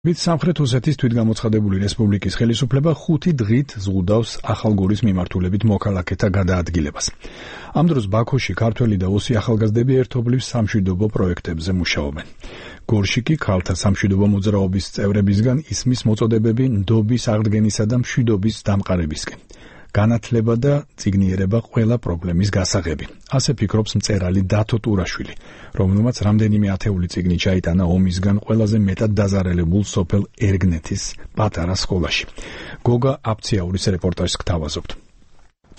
მით სამხრეთ ოსეთის თვითგამოცხადებული რესპუბლიკის ხელისუფლება 5 დღით ზღუდავს ახალგორის მიმართულებით მოქალაქეთა გადაადგილებას. ამ დროს ბაქოში ქართველი და ოსი ახალგაზრდები ერთობლივ სამშვიდობო პროექტებზე მუშაობენ. გორში კი ქალთა სამშვიდობო მოძრაობის წევრებისგან ისმის მოწოდებები ნდობის აღდგენისა და მშვიდობის დამყარებისკენ. განათლება და წიგნიერება ყველა პრობლემის გასაღები. ასე ფიქრობს მწერალი დათო ტურაშვილი, რომელმაც რამდენიმე ათეული წიგნი ჩაიტანა ომისგან ყველაზე მეტად დაზარალებულ სოფელ ერგნეთის პატარა სკოლაში. გოგა აფციაურის რეპორტაჟს გთავაზობთ.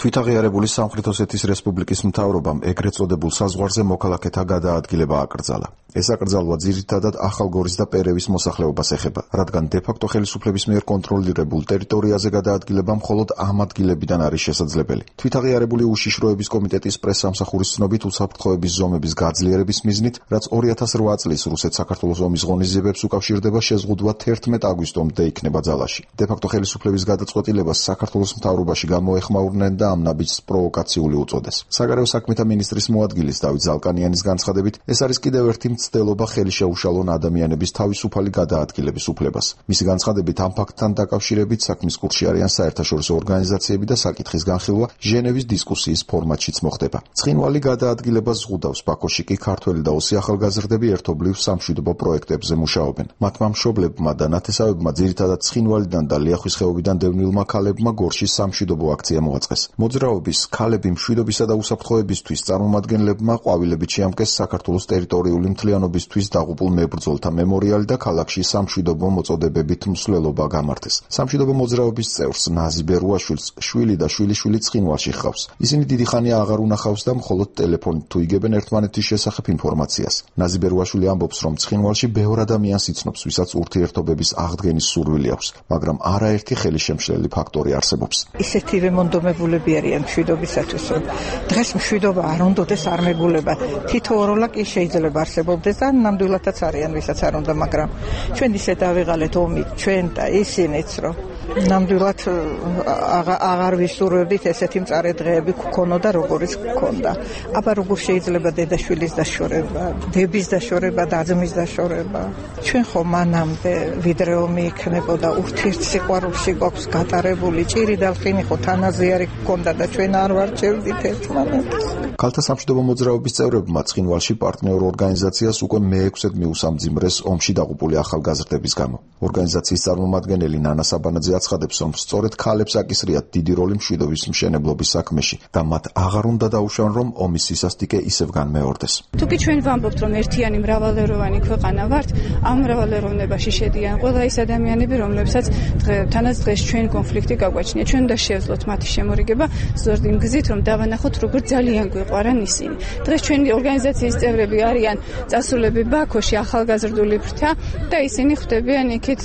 თვითაღიარებული სამხრეთ ოსეთის რესპუბლიკის მთავრობამ ეგრეთ წოდებულ საზღვარზე მოქალაქეთა გადაადგილება აკრძალა. ეს აკრძალვა ძირითადად ახალგორის და პერევის მოსახლეობას ეხება, რადგან დე-ფაქტო ხელისუფლების მიერ კონტროლირებულ ტერიტორიაზე გადაადგილება მხოლოდ ამ ადგილებიდან არის შესაძლებელი. თვითაღიარებული უშიშროების კომიტეტის პრესსამსახურის ცნობით უსაფრთხოების ზომების გაძლიერების მიზნით, რაც 2008 წლის რუსეთ-საქართველოს ომის ღონისძიებებს უკავშირდება, შეზღუდვა 11 აგვისტომდე იქნება ძალაში. დე-ფაქტო ხელისუფლების გადაწყვეტილებას საქართველოს მთავრობაში გამოეხმაურნენ და ამ ნაბიჯს პროვოკაციული უწოდეს. საგარეო საქმეთა მინისტრის მოადგილის დავით ზალკანიანის განცხადებით, ეს არის კიდევ ერთი მცდელობა ხელი შეუშალონ ადამიანების თავისუფალი გადაადგილების უფლებას. მისი განცხადებით, ამ ფაქტთან დაკავშირებით საქმის კურსში არიან საერთაშორისო ორგანიზაციები და საკითხის განხილვა ჟენევის დისკუსიის ფორმატშიც მოხდება. ცხინვალი გადაადგილებას ზღუდავს, ბაქოში კი ქართველი და ოსი ახალგაზრდები ერთობლივ სამშვიდობო პროექტებზე მუშაობენ. მათმა მშობლებმა და ნათესავებმა ძირითადად ცხინვალიდან და ლიახვის ხეობიდან დევნილმა ქალებმა გორში სამშვიდობო აქცია მოაწყეს. მოძრაობის ქალები მშვიდობისა და უსაფრთხოებისთვის წარმომადგენლებმა ყვავილებით შეამკეს საქართველოს ტერიტორიული მთლიანობისთვის დაღუპულ მებრძოლთა მემორიალი და ქალაქში სამშვიდობო მოწოდებებით მსვლელობა გამართეს. სამშვიდობო მოძრაობის წევრს ნაზი ბერუაშვილს შვილი და შვილიშვილი ცხინვალში ჰყავს. ისინი დიდი ხანია აღარ უნახავს და მხოლოდ ტელეფონით თუ იგებენ ერთმანეთის შესახებ ინფორმაციას. ნაზი ბერუაშვილი ამბობს, რომ ცხინვალში ბევრ ადამიანს იცნობს, ვისაც ურთიერთობების აღდგენის სურვილი აქვს, მაგრამ არაერთი ხელისშემშლელი ფაქტორი არსებობს. ისეთი რემონტომებულები არიან მშვიდობისათვის, რომ დღეს მშვიდობა არ უნდადეს არ მეგულება. თითოეულა კი შეიძლება არსებობდეს და ნამდვილადაც არიან, ვისაც არ უნდა, მაგრამ ჩვენ ისე დავიღალეთ ომით, ჩვენ და ისინიც, რომ ნამდვილად აღარ ვისურვებდით ესეთი მწარე დღეები გქონოდა, როგორიც გქონდა. აბა როგორ შეიძლება დედაშვილის დაშორება, დების დაშორება და ძმის დაშორება. ჩვენ ხო მანამდე ვიდრე ომი იქნებოდა, ურთიერთსიყვარულში გვაქვს გატარებული, ჭირი და ლხინი ხო თანაზე არ გქონდა და ჩვენ არ ვარჩევდით ერთმანეთს. ქალთა სამშვიდობო მოძრაობის წევრებმა ცხინვალში პარტნიორ ორგანიზაციას უკვე მე-6-ად მიუსამძიმრეს ომში დაღუპული ახალგაზრდების გამო. ორგანიზაციის წარმომადგენელი ნანა საბანაძე აცხადებს, რომ სწორედ ქალებს აკისრიათ დიდი როლი მშვიდობის მშენებლობის საქმეში და მათ აღარ უნდა დაუშვან, რომ ომის სისასტიკე ისევ განმეორდეს. თუკი ჩვენ ვამბობთ, რომ ერთიანი მრავალეროვანი ქვეყანა ვართ, ამ მრავალეროვნებაში შედიან ყველა ის ადამიანები, რომლებსაც თანაც დღეს ჩვენ კონფლიქტი გაგვაჩნია. ჩვენ უნდა შევძლოთ მათი შემორიგება სწორედ იმ გზით, რომ დავანახოთ, როგორ ძალიან გვიყვარან ისინი. დღეს ჩვენი ორგანიზაციის წევრები არიან წასულები ბაქოში ახალგაზრდული ფრთა და ისინი ხვდებიან იქით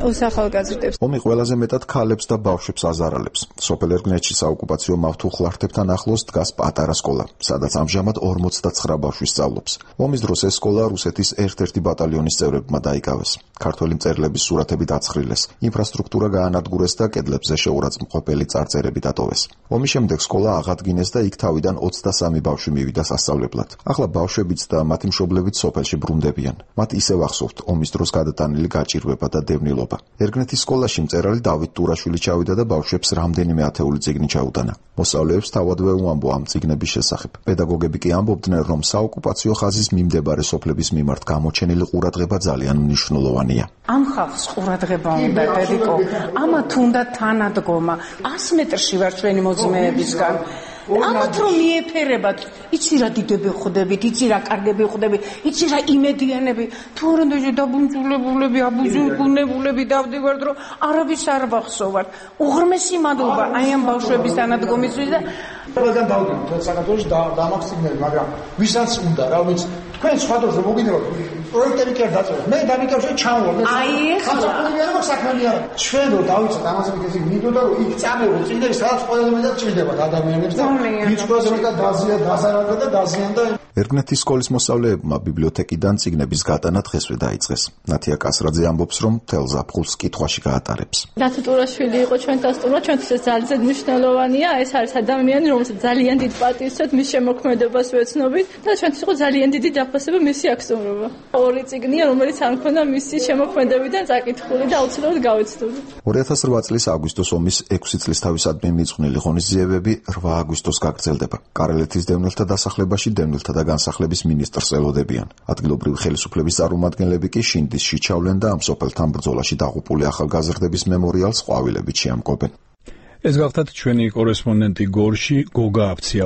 ოს ახალგაზრდებს. ომი ყველაზე მეტად ქალებს და ბავშვებს აზარალებს. სოფელ ერგნეთში საოკუპაციო მავთუხლართებთან ახლოს დგას პატარა სკოლა, სადაც ამჟამად 49 ბავშვი სწავლობს. ომის დროს ეს სკოლა რუსეთის ერთ-ერთი ბატალიონის წევრებმა დაიკავეს. ქართველი მწერლების სურათები დაცხრილეს, ინფრასტრუქტურა გაანადგურეს და კედლებზე შეურაცხმყოფელი წარწერები დატოვეს. ომის შემდეგ სკოლა აღადგინეს და იქ თავიდან 23 ბავშვი მივიდა სასწავლებლად. ახლა ბავშვებიც და მათი მშობლებიც სოფელში ბრუნდებიან. მათ ისევ ახსოვთ ომის დროს გადატანილი გაჭირვება და დევნილობა. ერგნეთის სკოლაში მწერალი დავით ტურაშვილი ჩავიდა და ბავშვებს რამდენიმე ათეული წიგნი ჩაუტანა. მოსწავლეებს თავადვე უამბო ამ წიგნების შესახებ. პედაგოგები კი ამბობდნენ, რომ საოკუპაციო ხაზის მიმდებარე სოფლების მიმართ გამოჩენილი ყურადღება ძალიან მნიშვნელოვანია. ამ ხალხს ყურადღება უნდა, დედიკო. ამათ უნდა თანადგომა. 100 მეტრში ვარ ჩვენი მოძმეებისგან. ამათ რომ მიეფერებათ, იცი რა დიდები ხვდებით, იცი რა კარგები ხვდებით, იცი რა იმედიანები, თუ არანდაჟე დაბუნჯულებულები, აბუზებულები დავდივართ, რომ არავის არ ვახსოვართ. უღრმესი მადლობა აი ამ ბავშვების თანადგომისთვის და ყველგან დავდივართ, თორე საქართველოში დამახსივრდები, მაგრამ ვისაც უნდა, რა ვიცი, თქვენ სხვა დროს მოგინებთ პროექტები კი არ დაწერეთ. მე დამიკავშირე ჩამოვარ. აი ეხლა საქმე არა. ჩვენ რო დავიცეთ ამაზე მიგეზი მინდოდა რომ იქ წამოვიდეთ წინდები, სადაც ყველაზე მეტად ჭირდებათ ადამიანებს და ვიწყოს მეტად დაზარალდა და დაზიანდა. ერგნეთის სკოლის მოსწავლეებმა ბიბლიოთეკიდან წიგნების გატანა დღესვე დაიწყეს. ნათია კასრაძე ამბობს, რომ მთელ ზაფხულს კითხვაში გაატარებს. დათო ტურაშვილი იყო ჩვენთან სტუმრად, ჩვენთვის ეს ძალიან მნიშვნელოვანია. ეს არის ადამიანი, რომელსაც ძალიან დიდ პატივს ვცემთ მის შემოქმედებას ვეცნობით და ჩვენთვის იყო ძალიან დიდი დაფასება მისი აქ სტუმრობა. მთავარი წიგნია, რომელიც არ მქონდა მისი შემოქმედებიდან წაკითხული და აუცილებლად გავეცდოდი. 2008 წლის აგვისტოს ომის 6 წლის თავისადმი მიძღვნილი ღონისძიებები 8 აგვისტოს გაგრძელდება. კარელეთის დევნილთა დასახლებაში დევნილთა და განსახლების მინისტრს ელოდებიან. ადგილობრივი ხელისუფლების წარმომადგენლები კი შინდისში ჩავლენ და ამ სოფელთან ბრძოლაში დაღუპული ახალგაზრდების მემორიალს ყვავილებით შეამკობენ. ეს გახლდათ ჩვენი კორესპონდენტი გორში გოგა აფცია